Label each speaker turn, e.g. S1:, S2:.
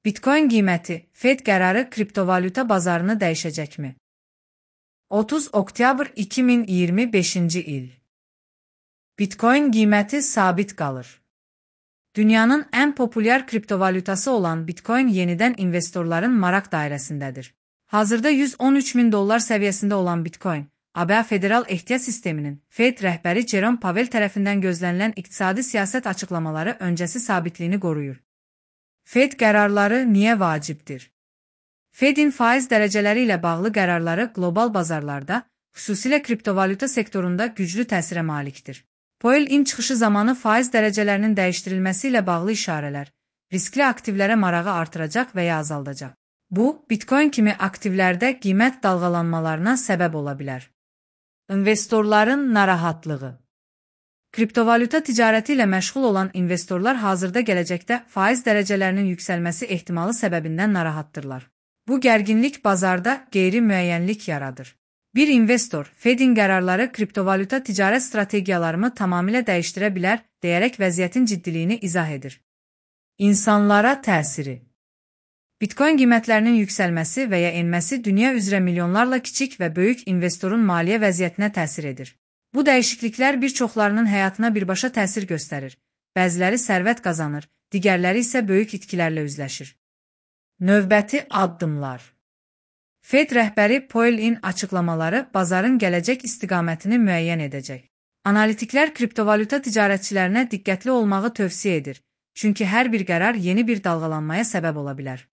S1: Bitcoin qiyməti, Fed qərarı kriptovalyuta bazarını dəyişəcəkmi? 30 oktyabr 2025-ci il. Bitcoin qiyməti sabit qalır. Dünyanın ən populyar kriptovalyutası olan Bitcoin yenidən investorların maraq dairəsindədir. Hazırda $113.000 səviyyəsində olan Bitcoin, ABŞ Federal Ehtiyat Sisteminin Fed rəhbəri Jerome Powell tərəfindən gözlənilən iqtisadi siyasət açıqlamaları öncəsi sabitliyini qoruyur. Fed qərarları niyə vacibdir? Fedin faiz dərəcələri ilə bağlı qərarları qlobal bazarlarda, xüsusilə kriptovalyuta sektorunda güclü təsirə malikdir. Powell-in çıxışı zamanı faiz dərəcələrinin dəyişdirilməsi ilə bağlı işarələr, riskli aktivlərə marağı artıracaq və ya azaldacaq. Bu, Bitcoin kimi aktivlərdə qiymət dalğalanmalarına səbəb ola bilər. İnvestorların narahatlığı. Kriptovalyuta ticarəti ilə məşğul olan investorlar hazırda gələcəkdə faiz dərəcələrinin yüksəlməsi ehtimalı səbəbindən narahatdırlar. Bu gərginlik bazarda qeyri-müəyyənlik yaradır. Bir investor, Fedin qərarları kriptovalyuta ticarət strategiyalarımı tamamilə dəyişdirə bilər, deyərək vəziyyətin ciddiliyini izah edir. İnsanlara təsiri. Bitcoin qiymətlərinin yüksəlməsi və ya enməsi dünya üzrə milyonlarla kiçik və böyük investorun maliyyə vəziyyətinə təsir edir. Bu dəyişikliklər bir çoxlarının həyatına birbaşa təsir göstərir. Bəziləri sərvət qazanır, digərləri isə böyük itkilərlə üzləşir. Növbəti addımlar. Fed rəhbəri Powell-in açıqlamaları bazarın gələcək istiqamətini müəyyən edəcək. Analitiklər kriptovalyuta ticarətçilərinə diqqətli olmağı tövsiyə edir, çünki hər bir qərar yeni bir dalğalanmaya səbəb ola bilər.